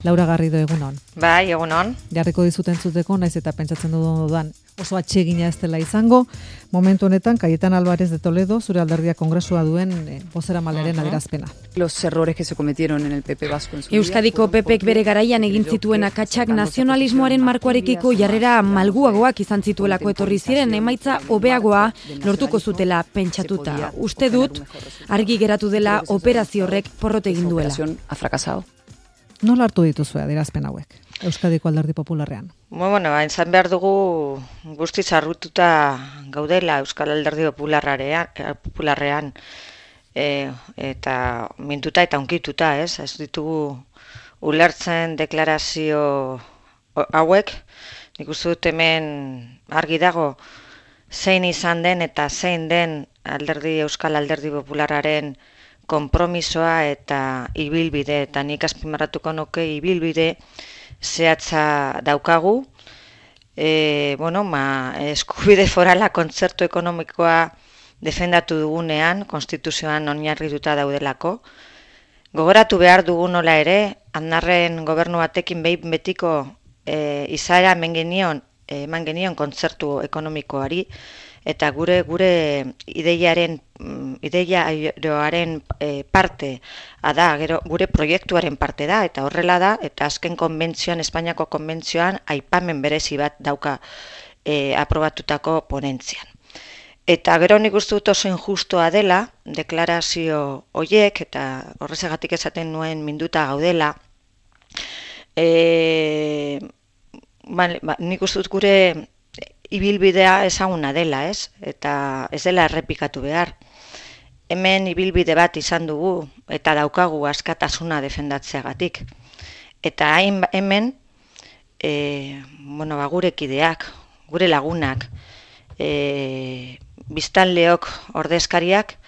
Laura Garrido, egunon. Bai, egunon. Jarriko dizut entzuteko, naiz eta pentsatzen dudan oso atsegina ez dela izango. Momentu honetan, Cayetana Álvarez de Toledo, zure alderdia kongresua duen bozeramaleren adierazpena. Los errores que se cometieron en el PP vasco. Euskadiko PPek bere garaian egin zituen akatsak nazionalismoaren markoarekiko jarrera malguagoak izan zituelako etorri ziren emaitza hobeagoa lortuko zutela pentsatuta. Uste dut, argi geratu dela operazio horrek porrot egin duela. Ha fracasado. Nola hartu dituzue adierazpen hauek, Euskadiko Alderdi Popularrean? Bueno, izan behar dugu guztiz harrututa gaudela Euskal Alderdi Popularrean eta mintuta eta unkituta, ez? Ez ditugu ulertzen deklarazio hauek, nik uste dut hemen argi dago zein izan den eta zein den Euskal Alderdi Popularraren konpromisoa eta ibilbide, eta nik azpimarratuko nuke ibilbide zehatza daukagu. Eskubide forala kontzertu ekonomikoa defendatu dugunean, konstituzioan oinarrituta daudelako. Gogoratu behar dugu nola ere, Aznarren gobernu batekin behin betiko izaera eman genion kontzertu ekonomikoari, eta gure ideiaren parte da, gure proiektuaren parte da, eta horrela da, eta azken konbentzioan, Espainiako konbentzioan, aipamen berezi bat dauka aprobatutako ponentzian. Eta gero nik uste dut oso injustua dela, deklarazio horiek, eta horrezagatik esaten nuen minduta gaudela, nik uste dut gure ibilbidea ezaguna dela, ez? Eta ez dela errepikatu behar. Hemen ibilbide bat izan dugu eta daukagu askatasuna defendatzeagatik. Eta hemen gure kideak, gure lagunak, biztanleok ordezkariak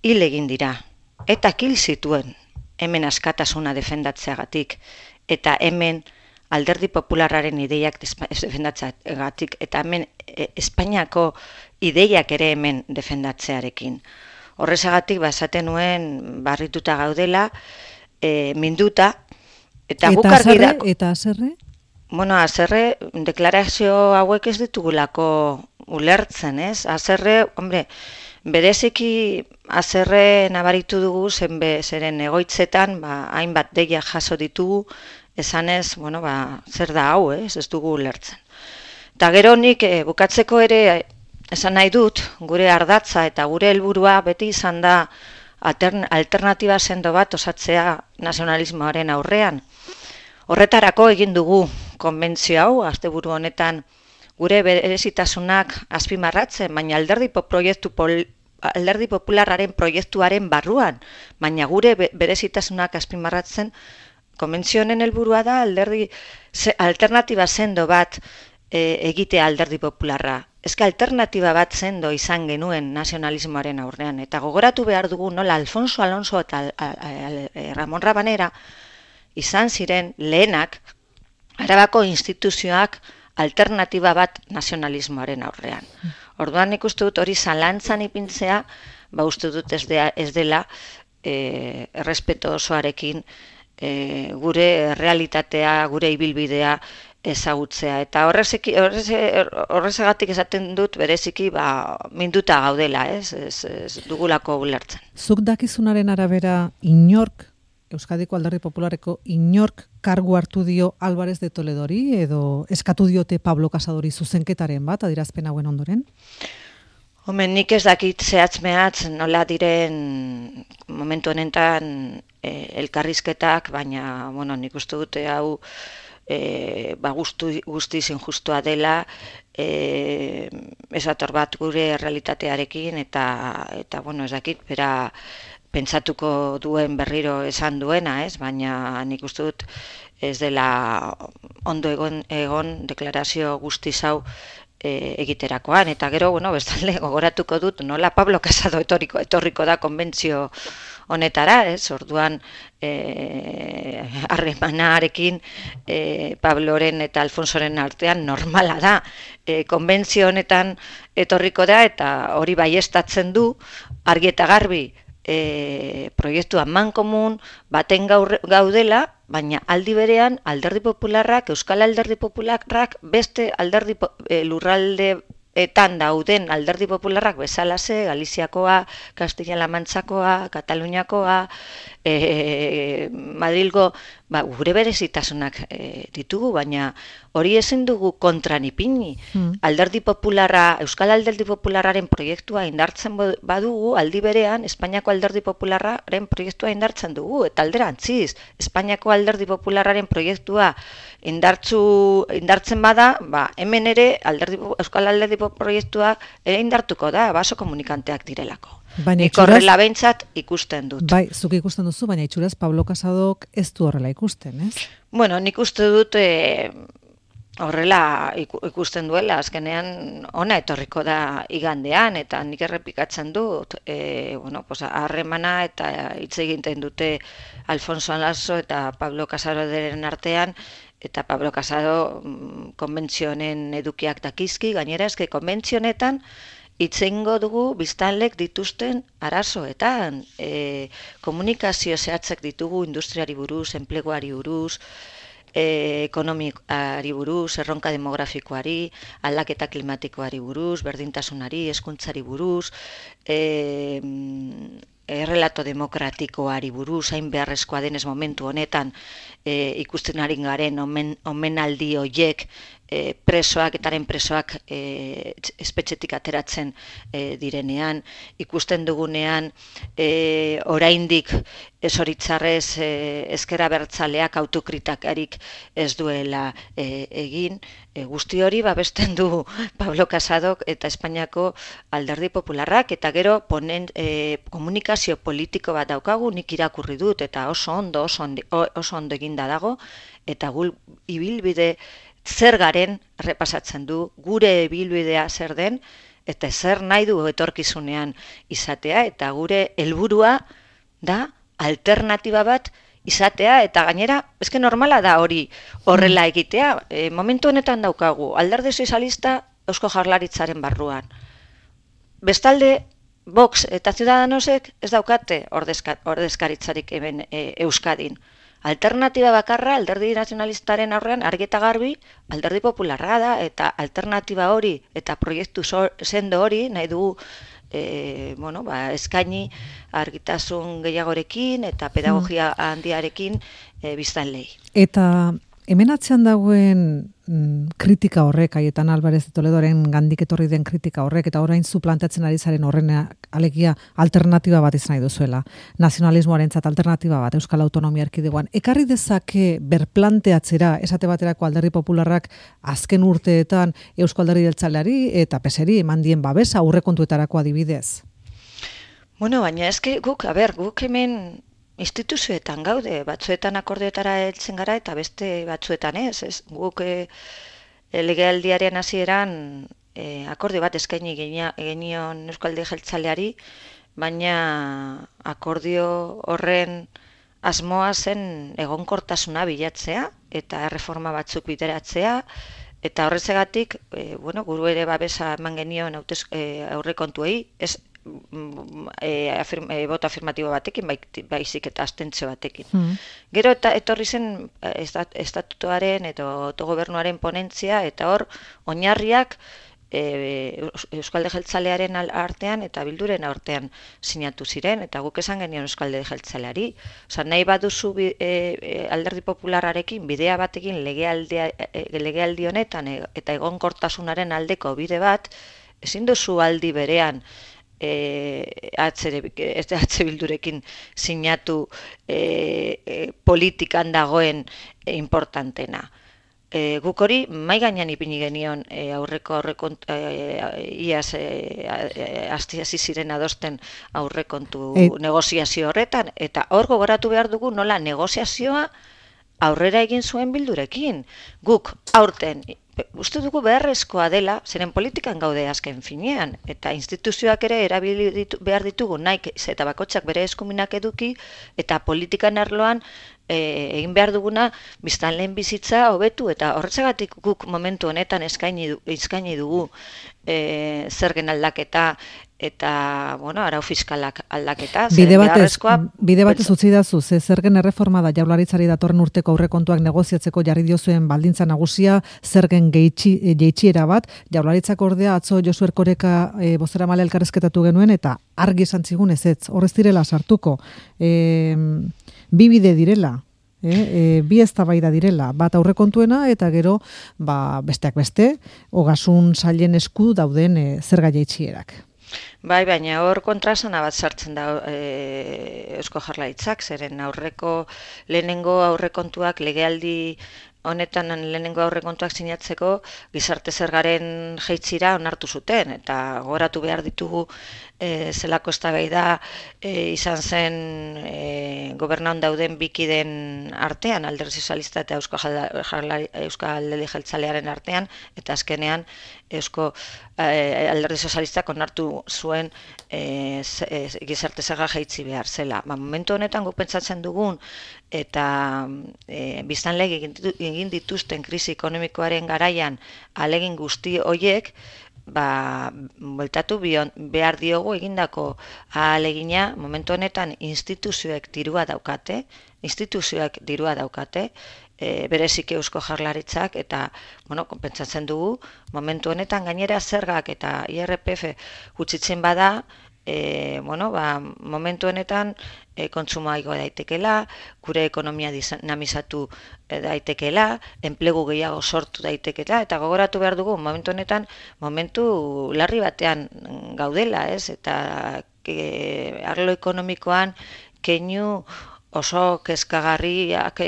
hil egin dira. Eta hil zituen hemen askatasuna defendatzeagatik. Eta hemen Alderdi Popularraren ideiak defendatzeagatik, eta hemen Espainiako ideiak ere hemen defendatzearekin. Horrezagatik esaten nuen barrituta gaudela, minduta, eta guk argi da. Eta azerre? Azerre, deklarazio hauek ez ditugulako ulertzen, ez? Azerre, bereziki azerre nabaritu dugu, zeren egoitzetan, hainbat deia jaso ditugu, esanez, zer da hau, ez dugu ulertzen. Eta gero nik bukatzeko ere esan nahi dut, gure ardatza eta gure helburua beti izan da alternatiba sendo bat osatzea nazionalismoaren aurrean. Horretarako egin dugu konbentzio hau, asteburu honetan gure berezitasunak azpimarratzen, baina Alderdi Popularraren proiektuaren barruan, baina gure berezitasunak azpimarratzen. Konbentzio honen helburua da alternatiba sendo bat egitea Alderdi Popularra. Ezka alternatiba bat sendo izan genuen nazionalismoaren aurrean. Eta gogoratu behar dugu nola Alfonso Alonso eta Ramon Rabanera izan ziren lehenak Arabako instituzioak alternatiba bat nazionalismoaren aurrean. Orduan ikustu dut hori zalantzan ipintzea, uste dut ez dela errespeto osoarekin gure realitatea, gure ibilbidea ezagutzea. Eta horrezagatik esaten dut bereziki minduta gaudela, ez dugulako ulertzen. Zuk dakizunaren arabera Euskadiko Alderdi Popularreko inork kargu hartu dio Álvarez de Toledori edo eskatu diote Pablo Casadori zuzenketaren bat adierazpen hauen ondoren? Nik ez dakit zehatz-mehatz nola diren momentu honetan elkarrizketak, baina nik uste dute hau guztiz injustua dela, esator bat gure realitatearekin eta ez dakit, bera pentsatuko duen berriro esan duena, ez? Baina nik uste dut ez dela ondo egon deklarazio guztiz hau egiterakoan, eta gero, bestalde gogoratuko dut, nola Pablo Casado etorriko da konbentzio honetara, ez? Orduan harremanarekin Pabloren eta Alfonsoren artean normala da. Konbentzio honetan etorriko da, eta hori baieztatzen du, argi eta garbi, proiektu amankomun baten gaudela, baina aldi berean Alderdi Popularrak, Euskal Alderdi Popularrak beste alderdi lurraldeetan dauden Alderdi Popularrak bezalase, Galiziakoa, Kastilla-La Mantxakoa, Kataluniakoa, Madrilgo, gure berezitasunak ditugu, baina hori ezin dugu kontran ipini. Alderdi Popularra, Euskal Alderdi Popularraren proiektua indartzen badugu, aldi berean Espainiako Alderdi Popularraren proiektua indartzen dugu, eta alderantziz, Espainiako Alderdi Popularraren proiektua indartzen bada, hemen ere Euskal Alderdi proiektua ere indartuko da, baso komunikanteak direlako. Nik horrela behintzat ikusten dut. Bai, zuk ikusten duzu, baina itxuraz Pablo Casadok ez du horrela ikusten, ez? Bueno, nik uste dut horrela ikusten duela, azkenean ona etorriko da igandean, eta nik errepikatzen dut, harremana eta hitz egiten dute Alfonso Alonso eta Pablo Casaderen artean, eta Pablo Casado konbentzionen edukiak dakizki, gainera eske konbentzionetan itzengo dugu biztanlek dituzten arazoetan, komunikazio zehatzak ditugu industriari buruz, enpleguari buruz, ekonomikoari buruz, erronka demografikoari, aldaketa klimatikoari buruz, berdintasunari, hezkuntzari buruz, errelato demokratikoari buruz, hain beharrezkoa denez momentu honetan ikusten ari garen omenaldi hoiek presoak espetxetik ateratzen direnean, ikusten dugunean oraindik esoritzarrez ezker abertzaleak autokritikarik ez duela egin, guzti hori babesten du Pablo Casadok eta Espainiako Alderdi Popularrak, eta gero komunikazio politiko bat daukagu, nik irakurri dut, eta oso ondo eginda dago, eta gul ibilbide zer garen repasatzen du, gure ibilbidea zer den, eta zer nahi du etorkizunean izatea, eta gure helburua da alternatiba bat izatea, eta gainera, eske normala da hori horrela egitea. Momentu honetan daukagu, Alderdi Sozialista Eusko Jaurlaritzaren barruan. Bestalde, Vox eta Ciudadanosek ez daukate ordezkaritzarik hemen Euskadin. Alternatiba bakarra Alderdi Nazionalistaren aurrean argi eta garbi Alderdi Popularra da, eta alternatiba hori eta proiektu sendo hori nahi dugu eskaini argitasun gehiagorekin eta pedagogia handiarekin biztanleei. Eta hemen atzean dagoen kritika horrek, Aietan Alvarez de Toledoren gandik etorri den kritika horrek, eta orain zu planteatzen ari zaren horrenak alegia alternatiba bat izan nahi duzuela, nazionalismoarentzat alternatiba bat Euskal Autonomia Erkidegoan. Ekarri dezake berplanteatzera, esate baterako Alderdi Popularrak azken urteetan Eusko Alderdi Jeltzaleari eta PSeri eman dien babesa aurrekontuetarako adibidez? Bueno, baina eske guk hemen instituzioetan gaude, batzuetan akordioetara heltzen gara eta beste batzuetan ez. Guk legealdiaren hasieran akordio bat eskaini genion Euskal Alderdi Jeltzaleari, baina akordio horren asmoa zen egonkortasuna bilatzea eta erreforma batzuk bideratzea, eta horretzegatik, guru ere babesa eman genion aurrekontuei, ez boto afirmatibo batekin, baizik eta abstentzio batekin. Gero eta etorri zen estatutuaren eta autogobernuaren ponentzia, eta hor oinarriak Euskal Alderdi Jeltzalearen artean eta Bilduren artean sinatu ziren, eta guk esan genion Euskal Alderdi Jeltzaleari. Nahi baduzu Alderdi Popularrarekin bidea batekin legealdi honetan eta egonkortasunaren aldeko bide bat, ezin duzu aldi berean Bildurekin sinatu politikan dagoen importantena. Guk hori mai gainean ipini genion aurreko iaz hasi ziren adosten aurrekontu negoziazio horretan, eta hor gogoratu behar dugu nola negoziazioa aurrera egin zuen Bildurekin. Guk aurten uste dugu beharrezkoa dela, zeren politikan gaude azken finean, eta instituzioak ere erabili behar ditugu nahi eta bakotxak bere eskuminak eduki, eta politikan arloan egin behar duguna biztanleen bizitza hobetu, eta horretzagatik guk momentu honetan eskaini dugu zergen aldaketa eta, bueno, arau fiskalak aldaketa, bide batez utzi dazu, zergen erreforma da Jaurlaritzari datorren urteko aurrekontuak negoziatzeko jarri diozuen baldintza nagusia, zergen jeitsiera bat, Jaurlaritzak ordea atzo Josu Erkoreka bozeramale elkarrizketatu genuen, eta argi esan zigun ezetz, horrez direla sartuko, bi bide direla, bi eztabaida direla, bat aurrekontuena eta gero besteak beste, ogasun sailen esku dauden zerga jaitsierak. Bai, baina hor kontrasana bat sartzen da Eusko Jaurlaritzak, zeren lehenengo aurrekontuak legealdi honetan lehenengo aurrekontuak sinatzeko gizarte zergaren jaitzira onartu zuten, eta gogoratu behar ditugu zelako eztabaida izan zen gobernaun dauden bikiden artean, Alderdi Sozialista eta Euskal Alderdi Jeltzalearen artean, eta azkenean Alderdi Sozialistak onartu zuen gizarte zerga jaitsi behar zela. Momentu honetan guk pentsatzen dugun eta biztanleek egin dituzten krisi ekonomikoaren garaian ahalegin guzti horiek, bueltatu behar diogu egindako ahalegina. Momentu honetan instituzioek dirua daukate, bereziki Eusko Jaurlaritzak, eta pentsatzen dugu momentu honetan gainera zergak eta IRPF gutxitzen bada, momentu honetan kontsumoa igo daitekela, gure ekonomia dinamizatu daitekela, enplegu gehiago sortu daitekela, eta gogoratu behar dugu momentu honetan momentu larri batean gaudela, eta arlo ekonomikoan keinu oso kezkagarriak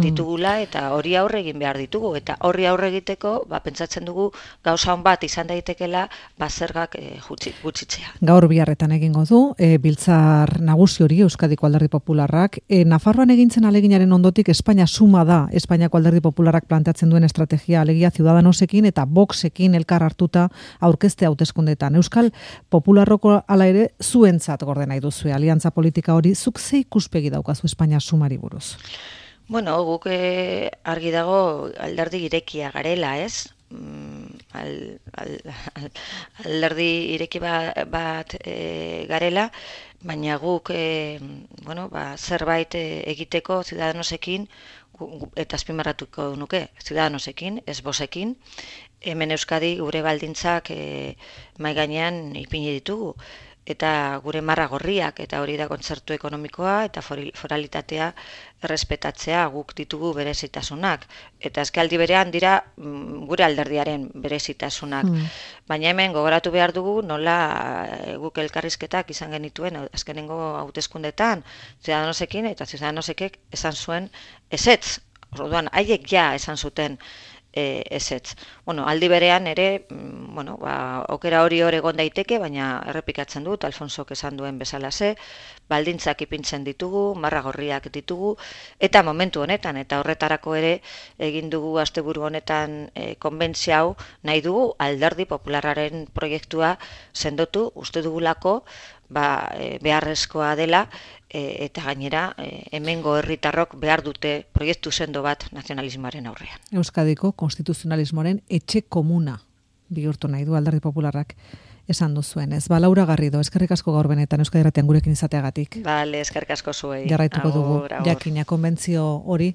ditugula, eta hori aurre egin behar ditugu, eta horri aurre egiteko pentsatzen dugu gauza on bat izan daitekela zergak gutxitzea. Gaur biharretan egingo du biltzar nagusi hori Euskadiko Alderdi Popularrak. Nafarroan egintzen aleginaren ondotik Espainia suma da Espainiako Alderdi Popularrak planteatzen duen estrategia, alegia Ciudadanosekin eta Voxekin elkar hartuta aurkezte hauteskundeetan. Euskal Popularroko hala ere zuentzat gorde nahi duzue aliantza politika hori, zuk ze ikuspegi daukazu Espainia sumari buruz? Bueno, guk argi dago alderdi irekia garela, ez? Alderdi ireki bat garela, baina guk zerbait egiteko Ciudadanosekin, eta azpimarratuko nuke, Ciudadanosekin, ez Voxekin, hemen Euskadi gure baldintzak mahai gainean ipini ditugu, eta gure marra gorriak, eta hori da kontzertu ekonomikoa eta foralitatea errespetatzea, guk ditugu berezitasunak, eta azkaldi berean dira gure alderdiaren berezitasunak. Baina hemen gogoratu behar dugu nola guk elkarrizketak izan genituen azkenengo hauteskundetan Ciudadanosekin, eta Ciudadanosek esan zuen ezetz, orduan haiek ja esan zuten ezetz. Aldi berean ere, okera hori egon daiteke, baina errepikatzen dut, Alfonsok esan duen bezalaxe, baldintzak ipintzen ditugu, marra gorriak ditugu, eta momentu honetan, eta horretarako ere egin dugu asteburu honetan konbentzia hau, nahi dugu Alderdi Popularraren proiektua sendotu, uste dugulako, beharrezkoa dela, eta gainera hemengo herritarrok behar dute proiektu sendo bat nazionalismoaren aurrean. Euskadiko konstituzionalismoaren etxe komuna bihurtu nahi du Alderdi Popularrak esan duzuen. Ez, Laura Garrido, eskerrik asko gaur benetan Euskadi Irratian gurekin izateagatik. Bale, eskerrik asko zuei. Jarraituko dugu jakina konbentzio hori